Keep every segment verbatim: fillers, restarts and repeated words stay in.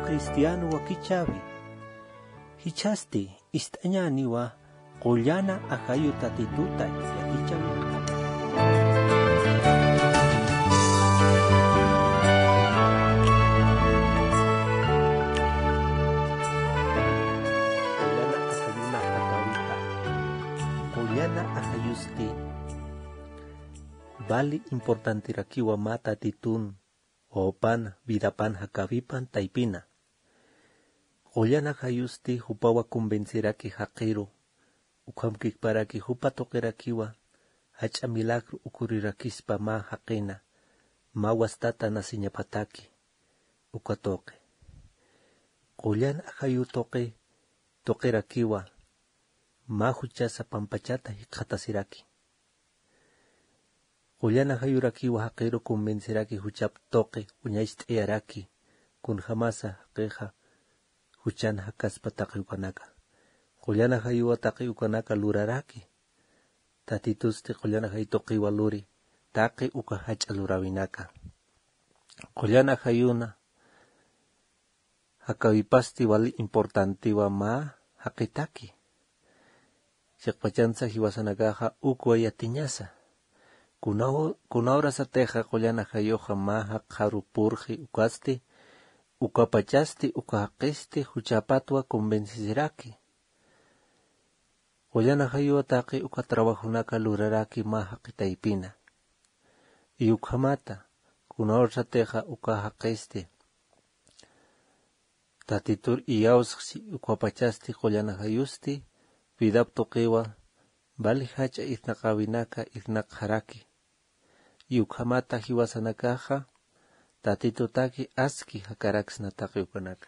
Cristiano wakichäwi. Jichhasti ist'añäniwa qullana ajayu Tatituta yatichäwinaka. Qullana ajayuna jakawita. Qullana ajayusti vali importanterakiwa mä Tatitun wawpan vidapan jakäwipan taypina. Qullana ajayusti jupawa convenceraki jaqiru, ukhamkikparaki jupa tuqirakiwa jach'a milagro ocurrirakispa mä jaqina, mä wastata naceñapataki, uka tuqi. Qullana ajayu tuqi, tuqirakiwa mä juchasa pampachata jikxatasiraki. Qullana ajayurakiwa jaqiru convenceraki juchap tuqi uñacht'ayaraki, kunjamasa jaqixa juchan jakaspa taqi ukanaka. Qullana ajayuwa taqi ukanaka luraraki. Tatitusti qullana ajayu tuqiwa luri taqi uka jach'a luräwinaka. Qullana ajayuna jakäwipasti wali importantewa mä jaqitaki. Chiqpachansa jiwasanakaxa ukwa yatiñasa. Kuna, kuna urasatixa qullana ajayuxa mä jaqharu purxi ukasti, ukapachasti, uka jaqisti juchapatwa convencesiraki. Qullana ajayuwa taqi uka trabajonaka luraraki mä jaqi taypina. Y ukhamata, kuna urasatixa uka jaqisti Tatitur iyawsxchi ukapachasti qullana ajayusti, vidap tuqiwa vali jach'a irnaqäwinaka irnaqxaraki. Y ukhamata jiwasanakaxa Tatitutaki aski jakaraksna taqi ukanaka.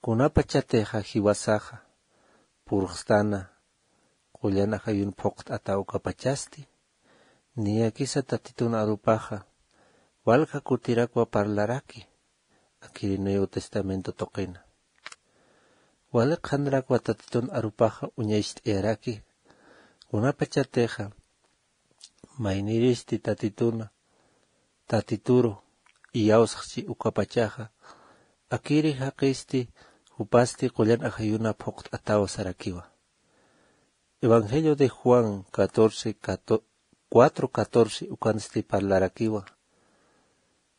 Kunapachatixa jiwasaxa purxstana qullana ajayun phuqt'ata ukapachasti, niyakisa Tatitun arupaxa walja kutirakwa parlaraki, akiri Nuevo Testamento tuqina. Wali qhanrakwa Tatitun arupaxa uñacht'ayaraki, kunapachatixa mayniristi Tatituna, Tatituru iyawsxchi ukapachaxa, akiri jaqisti jupasti qullan ajayuna phuqt'ataw sarakiwa. Evangelio de Juan catorce, cato-, cuatro catorce ukansti parlarakiwa.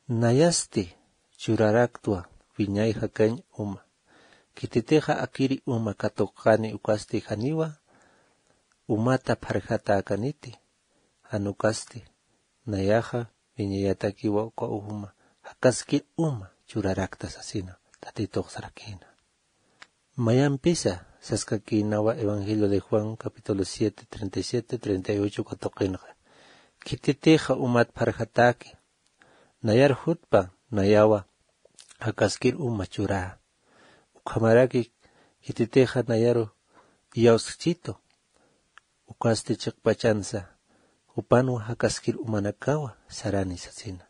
Nayasti churaraktwa wiñay jakañ uma. Khititixa akiri uma katuqani ukasti janiwa umata pharjatäkaniti, jan ukasti nayaxa wiñayatakiwa uka uma jakaskir uma churarakta sasina Tatitux sarakïna. Mayampisa saskakïnawa Evangelio de Juan capítulo siete, treinta y siete, treinta y ocho katuqinxa. Khititixa umat pharjatäki, nayar jutpa, nayawa jakaskir uma churä. Ukhamaraki khititixa nayaru iyawsxchitu, ukasti chiqpachansa jupanwa jakaskir umanakawa sarani sasina.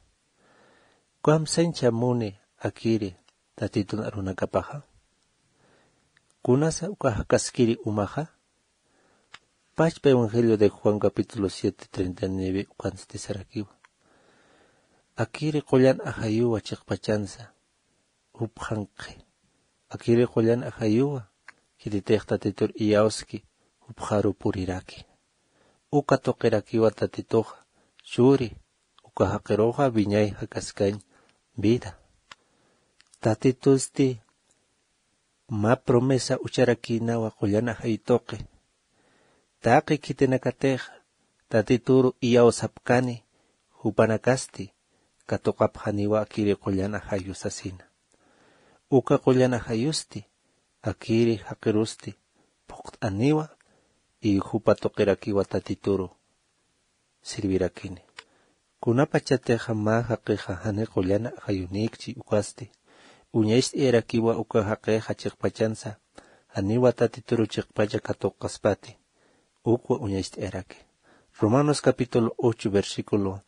Kamsañcha muni akiri Tatitun arunakapaxa. Kunasa uka jakaskiri umaxa. Pachpa Evangelio de Juan capítulo siete, treinta y nueve ukansti sarakiwa. Akiri qullan ajayuwa chiqpachansa jupxanqi. Akiri qullan ajayuwa khititix Tatitur iyawski jupxaru puriraki. Uka tuqirakiwa Tatituxa churi, uka jaqiruxa wiñay jakaskañ vida. Tatitusti mä promesa ucharakïnawa qullan ajayu tuqi. Taqi khitinakatix Tatituru iyawsapkani jupanakasti katuqapxaniwa akiri qullan ajayu sasina. Uka qullan ajayusti akiri jaqirusti phuqt'aniwa y jupa tuqirakiwa Tatituru sirvirakini. Kunapachatixa mä jaqixa jani qullan ajayunïkchi ukasti uñacht'ayarakiwa uka jaqixa chiqpachansa janiwa Tatituru chiqpacha katuqkaspati ukwa uñacht'ayaraki. Romanos capítulo ocho versículo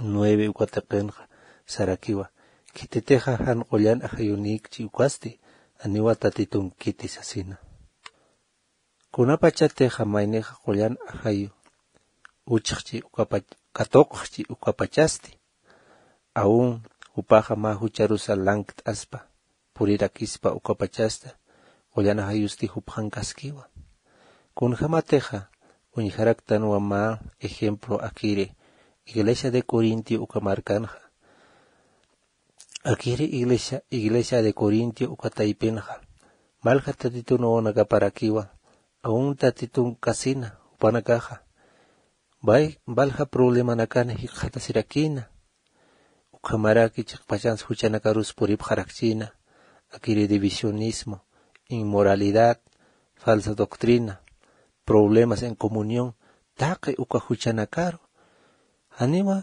nueve uka tuqinxa sarakiwa. Khititixa jan qullan ajayunïkchi ukasti janiwa Tatitunkiti sasina. Kunapachatixa maynixa qullan ajayu uchxchi ukapach-, katuqxchi ukapachasti. Aun jupaxa mä jucharusa lankt'aspa. purirakispa ukapachasta, qullan ajayusti jupxankaskiwa. Kunjamatixa uñjaraktanwa mä ejemplo akiri iglesia de Corintio uka markanxa. Akiri iglesia, iglesia de Corintio uka taypinxa, malja tatitun wawanakaparakiwa, aun tatitun kasina jupanakaxa, bay, balja problemanakan jikxatasirakïna. Ukhamaraki chiqpachans juchanakarus puripxarakchïna, akiri divisionismo, inmoralidad, falsa doctrina, problemas en comunión, taqi uka juchanakaru. Janiwa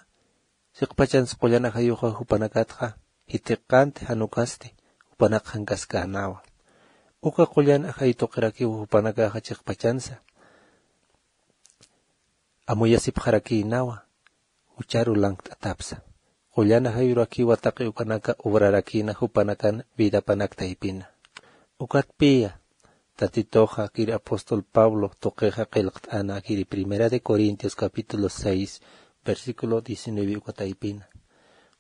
chiqpachans qullan ajayuxa jupanakatxa jithiqanti, jan ukasti jupanakxankaskänawa. Uka qullan ajayu tuqirakiw jupanakaxa chiqpachansa amuyasipxarakïnawa, jucharu lankt'atapsa. Qullan ajayurakiwa taqi ukanaka obrarakïna jupanakan vidapanak taypina. Ukatpiya tatituxa akiri apóstol Pablo tuqixa qillqt'ana akiri Primera de Corintios capítulo seis, versículo diecinueve uka taypina.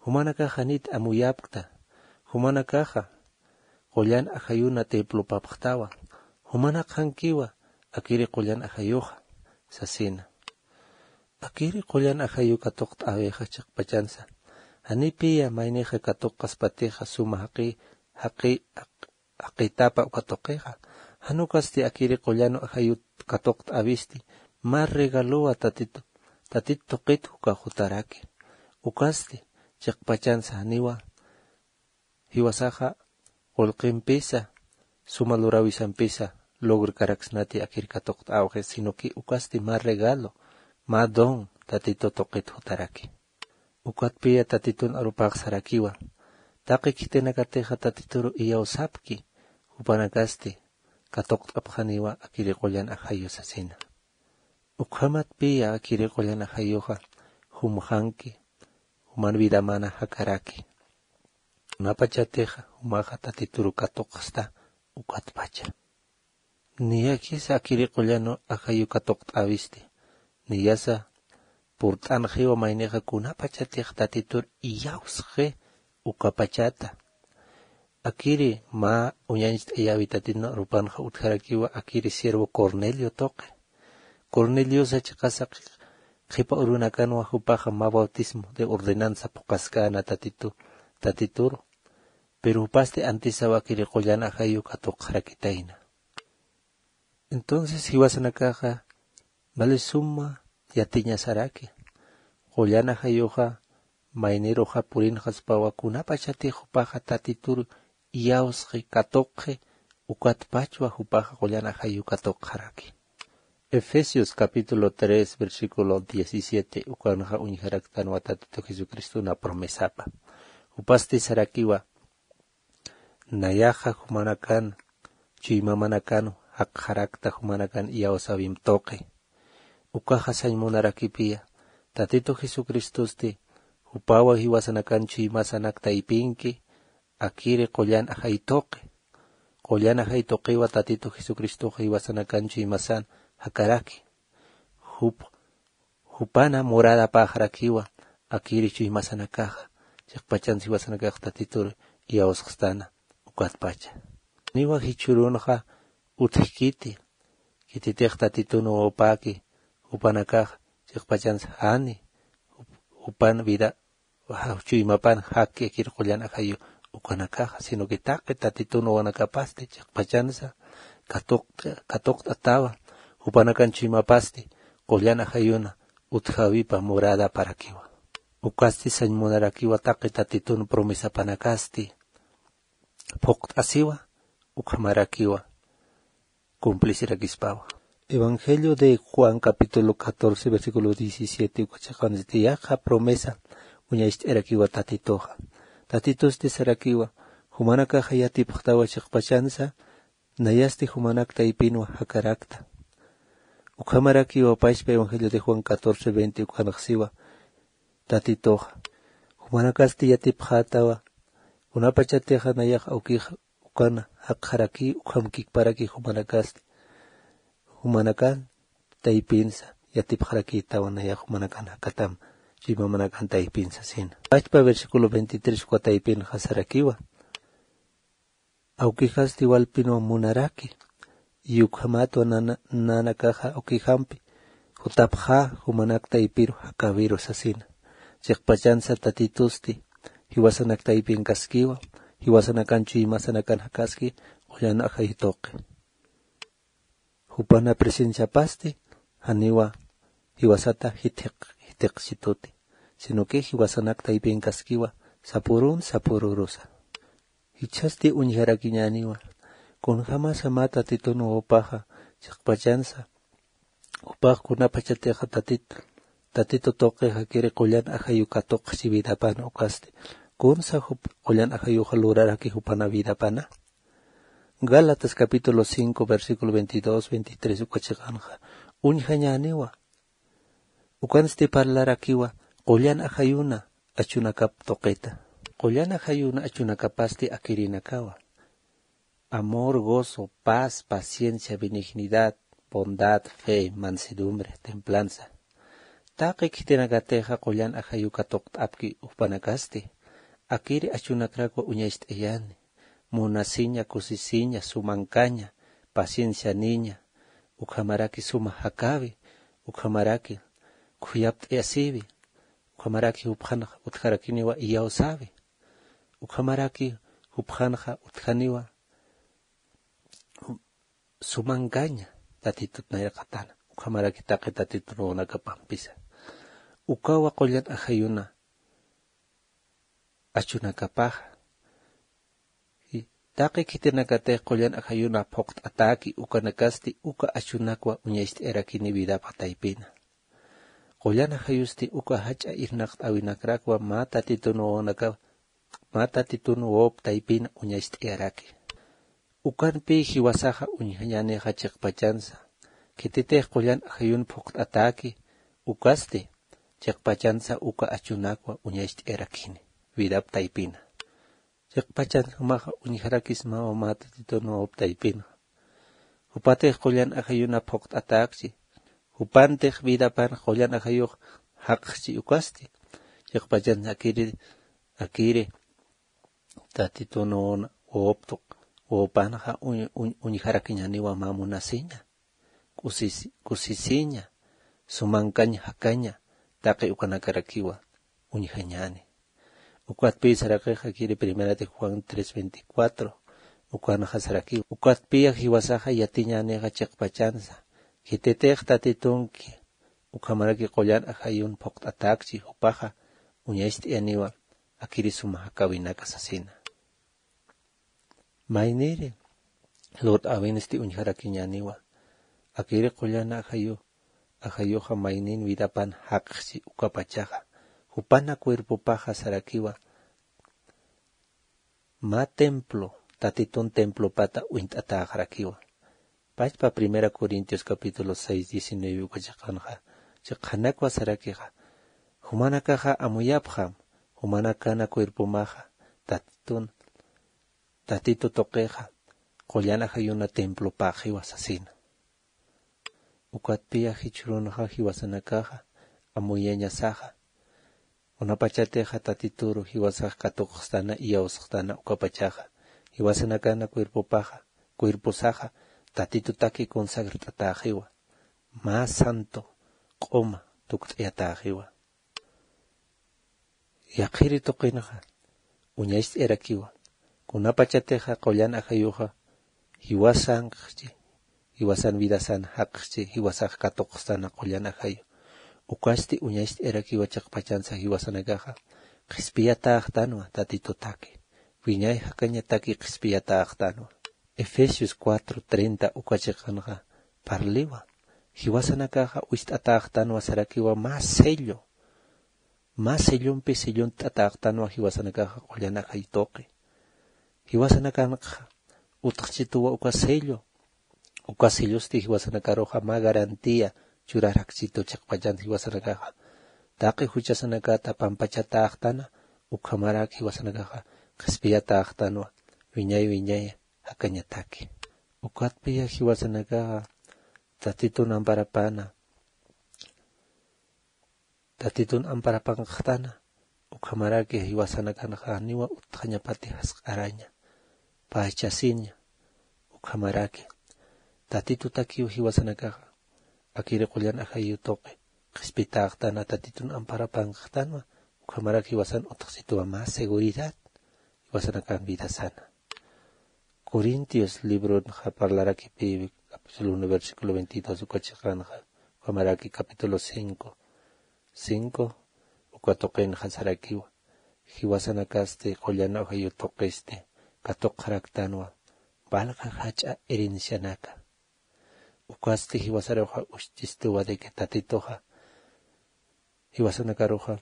Jumanakaxa janit amuyapkta, jumanakaxa qullan ajayuna templopapxtawa, jumanakxankiwa akiri qullan ajayuxa, sasina. Akiri qullan ajayu katuqt'äwixa chiqpachansa, janipiya maynixa katuqaspatixa suma jaqi, jaqi, jaqitapa uka tuqixa. Jan ukasti akiri qullan ajayu katuqt'äwisti mä regalowa tatit, tatit tuqit uka jutaraki. Ukasti chiqpachansa janiwa jiwasaxa qullqimpisa, suma luräwisampisa logrkaraksnati akir katuqt'äwxi, sino que ukasti mä regalo, mä don tatitu tuqit jutaraki. Ukatpiya tatitun arupax sarakiwa, taqi khitinakatixa tatituru iyawsapki, jupanakasti katuqt'apxaniwa akiri qullan ajayu sasina. Ukhamatpiya akiri qullan ajayuxa jumxanki, juman vidamana jakaraki. Kunapachatixa jumaxa tatituru katuqasta ukatpacha. Niyakisa akiri qullan ajayu katuqt'äwisti, niyasa purt'anxiwa maynixa kunapachatix tatitur iyawsxi ukapachata. Akiri mä uñañcht'ayäwi tatitun arupanxa utjarakiwa akiri siervo Cornelio tuqi. Corneliosa chiqasa qhipa urunakanwa jupaxa mä bautismo de ordenanza phuqaskäna tatitu, tatituru. Pero jupasti antisaw akiri qullan ajayu katuqxarakitayna. Entonces jiwasanakaxa vale suma yatiñasaraki. Qullan ajayuxa mayniruxa purinxaspawa kunapachatix jupaxa tatitur iyawsxi, katuqxi, ukatpachwa jupaxa qullan ajayu katuqxaraki. Efesios capítulo tres, versículo diecisiete, ukanxa uñjaraktanwa Tatitu Jesucristo una promesapa. Jupasti sarakiwa, nayaxa jumanakan, chuymamanakan jakxarakta jumanakan iyawsäwimp tuqi. Ukaxa sañ munarakipiya, Tatitu Jesucristosti, jupawa jiwasanakan chuymasanak taypinki, akiri qullan ajay tuqi. Qullan ajay tuqiwa Tatitu Jesucristoxa jiwasanakan chuymasan jakaraki. Jup, jupana moradapaxarakiwa akiri chuymasanakaxa, chiqpachansa jiwasanakax Tatitur iyawsxstana ukatpacha. Niwa jichhürunxa utjkiti, khititix Tatitun wawapäki, jupanakax chiqpachansa jani, jup, jupan vida, ja, chuymapan jakki akir qullan ajayu ukanakaxa, sino que taqi Tatitun wawanakapasti chiqpachansa katuqt'a, katuqt'atawa, jupanakan chuymapasti qullan ajayuna utjäwipa moradaparakiwa. Ukasti sañ munarakiwa taqi Tatitun promesapanakasti phuqt'asiwa, ukhamarakiwa cumplisirakispawa. Evangelio de Juan capítulo catorce, versículo diecisiete, uka chiqansti yaqha promesa uñacht'irakiwa Tatituxa. Tatitusti sarakiwa, jumanakaxa yatipxtawa chiqpachansa, nayasti jumanak taypinwa jakarakta. Ukhamarakiwa pachpa Evangelio de Juan catorce veinte ukanxsiwa, Tatituxa. Jumanakasti yatipxätawa, kunapachatixa nayax awkix ukan jakxaraki, ukham kikparaki jumanakasti. Jumanakan taypinsa yatipxarakïtawa nayax jumanakan jakatam, chuymamanakan taypinsa sina. Pachpa versículo veintitrés uka taypinxa sarakiwa. Awkixasti walpinwa munaraki, ukhamatwa nanakaxa awkixampi jutapxä jumanak taypiru jakawiru sasina. Chiqpachansa tatitusti jiwasanak taypinkaskiwa, jiwasanakan chuymasanakan jakaski qullan ajayu tuqi. Jupana presenciapasti janiwa jiwasata jithiq jithiqchituti, sino que jiwasanak taypinkaskiwa sapurun sapururusa. Jichhasti uñjarakiñäniwa kunjämasa mä tatitun wawpaxa chiqpachansa jupax kunapachatixa tatit tatitu tuqix akiri qullan ajayu katuqchi vidapan ukasti kunsa jup qullan ajayuxa luraraki jupana vidapana. Gálatas capítulo cinco versículo veintidós veintitrés uka chiqanxa uñjañäniwa. Ukansti parlarakiwa qullan ajayuna achunakap tuqita. Qullan ajayuna achunakapasti akirinakawa: amor, gozo, paz, paciencia, benignidad, bondad, fe, mansedumbre, templanza. Taqi khitinakatixa qullan ajayu katuqt'apki jupanakasti akiri achunakrakwa uñacht'ayani: munasiña, kusisiña, sumankaña, paciencianiña, ukhamaraki suma jakawi, ukhamaraki khuyapt'ayasiwi, ukhamaraki jupxanxa utjarakiniwa iyawsäwi, ukhamaraki jupxanxa utjaniwa sumankaña tatitut nayraqatana, ukhamaraki taqi tatitun wawanakapampisa. Ukawa qullan ajayuna achunakapaxa. Taqi khitinakatix qullan ajayuna phuqt'atäki ukanakasti uka achunakwa uñacht'ayarakini vidapa taypina. Qullan ajayusti uka jach'a irnaqt'äwinakrakwa mä tatitun wawanaka mä tatitun wawap taypina uñacht'ayaraki. Ukanpï jiwasaxa uñjañänixa chiqpachansa khititix qullan ajayun phuqt'atäki ukasti chiqpachansa uka achunakwa uñacht'ayarakini vidap taypina. Chiqpachan jumaxa uñjarakismawa mä tatitun wawap taypinxa. Jupatix qullan ajayuna phuqt'atäkchi jupantix vidapan qullan ajayux jaqxchi ukasti chiqpachan akiri akiri tatitun wawap tuq wawapanxa uñjarakiñäniwa mä munasiña, kusisiña, sumankaña jakaña taqi ukanakarakiwa uñjañäni. Ukatpï sarakixa kiri primera de juan tres veinticuatro ukanxa sarakiwa ukatpï jiwasaxa yatiñänixa chiqpachansa khititix tatitunki ukhamaraki qullan ajayun phuqt'atäkchi jupaxa uñacht'ayaniwa akiri suma jakawinaka sasina. Mayniri lurt'äwinsti uñjarakiñäniwa akiri qullan ajayu ajayuxa maynin vidapan jaqxchi ukapachaxa jupana cuerpopaxa sarakiwa mä templo tatitun templopata uñt'atäxarakiwa. Pachpa primera corintios capítulo seis diecinueve uka chiqanxa chiqanakwa sarakixa jumanakaxa amuyapxam jumanakana cuerpomaxa tatitun tatitu tuqixa qullan ajayuna templopaxiwa sasina. Ukatpiya jichhürunxa jiwasanakaxa amuyañasaxa kunapachatixa tatituru jiwasax katuqxtana iyawsxtana ukapachaxa jiwasanakana cuerpopaxa cuerposaxa tatitutaki consagrt'atäxiwa mä santo q'uma tukt'ayatäxiwa. Yaqhiri tuqinxa uñacht'ayarakiwa kunapachatixa qullan ajayuxa jiwasanxchi jiwasan vidasan jaqxchi jiwasax katuqxtana qullan ajayu ukasti uñacht'ayarakiwa chiqpachansa jiwasanakaxa qhispiyatäxtanwa tatitutaki wiñay jakañataki qhispiyatäxtanwa. Efesios cuatro treinta uka chiqanxa parliwa jiwasanakaxa ucht'atäxtanwa sarakiwa mä sello mä sellompi sellont'atäxtanwa jiwasanakaxa qullan ajayu tuqi. Jiwasanakanxa utxchituwa uka sello uka sellosti jiwasanakaruxa mä garantía churarakchitu chiqpachan jiwasanakaxa taqi juchasanakata pampachatäxtana ukhamarak jiwasanakaxa qhispiyatäxtanwa wiñay wiñay jakañataki. Ukatpiya jiwasanakaxa tatitun amparapana tatitun amparapanxtana ukhamaraki jiwasanakanxa janiwa utjañapati jasq'araña. pachasiña. Ukhamaraki tatitutakiw jiwasanakaxa akiri qullan ajayu tuqi qhispitäxtana, tatitun amparapankaxtanwa. Ukhamaraki jiwasan utjsituwa mä seguridad jiwasanakan vidasana. Corintios libronxa parlarakipiwi capítulo uno versículo veintidós uka chiqanxa, ukhamaraki capítulo cinco cinco uka tuqinxa sarakiwa. Jiwasanakasti qullan ajayu tuqisti katuqxaraktanwa valja jach'a herencianaka. Ukasti jiwasaruxa ucht'istuwa de que tatituxa jiwasanakaruxa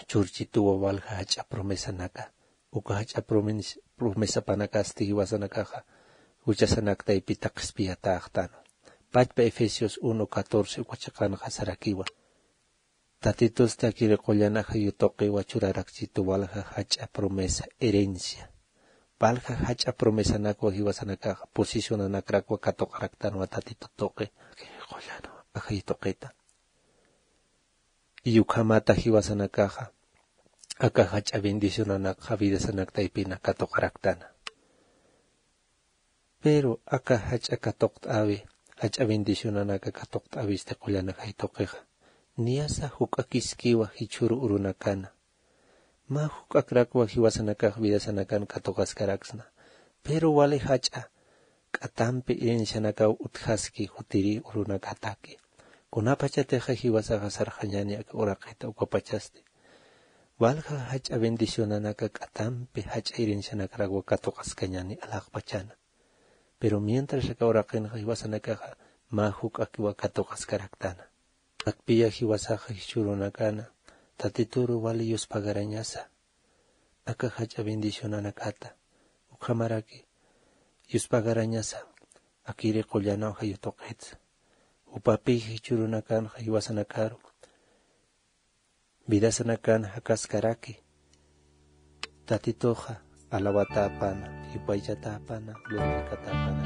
churchituwa valja jach'a promesanaka. Uka jach'a promes- promesapanakasti jiwasanakaxa juchasanaktaypita qhispiyatäxtanwa. Pachpa Efesios uno catorce uka chiqanxa sarakiwa. Tatitusti akiri qullan ajayu tuqiwa churarakchitu valja jach'a promesa herencia. Valja jach'a promesanakwa jiwasanakaxa posicionanakrakwa katuqaraktanwa tatitu tuqi akiri qullan ajayu tuqita. Y ukhamata jiwasanakaxa aka jach'a bendicionanakxa vidasanak taypina katuqaraktana. Pero aka jach'a katuqt'äwi jach'a bendicionanaka katuqt'äwisti qullan ajay tuqixa niyasa juk'akiskiwa jichhüru urunakana. Mä juk'akrakwa jiwasanakax vidasanakan katuqaskaraksna. Pero wali jach'a k'atampi herencianakaw utjaski jutiri urunakataki. Kunapachatixa jiwasaxa sarxañäni aka uraqita ukapachasti valja jach'a bendicionanaka k'atampi jach'a herencianakrakwa katuqaskañäni alaxpachana. Pero mientras aka uraqinxa jiwasanakaxa mä juk'akiwa katuqaskaraktana. Akpiya jiwasaxa jichhürunakana tatituru wali yuspagarañasa aka jach'a bendicionanakata. Ukhamaraki yuspagarañasa akiri qullanaw jayutuqitsa. Jupapi jichhürunakanxa jiwasanakaru vidasanakan jakaskaraki. Tatituxa alawatäpana, yupaychatäpana, glorificatäpana.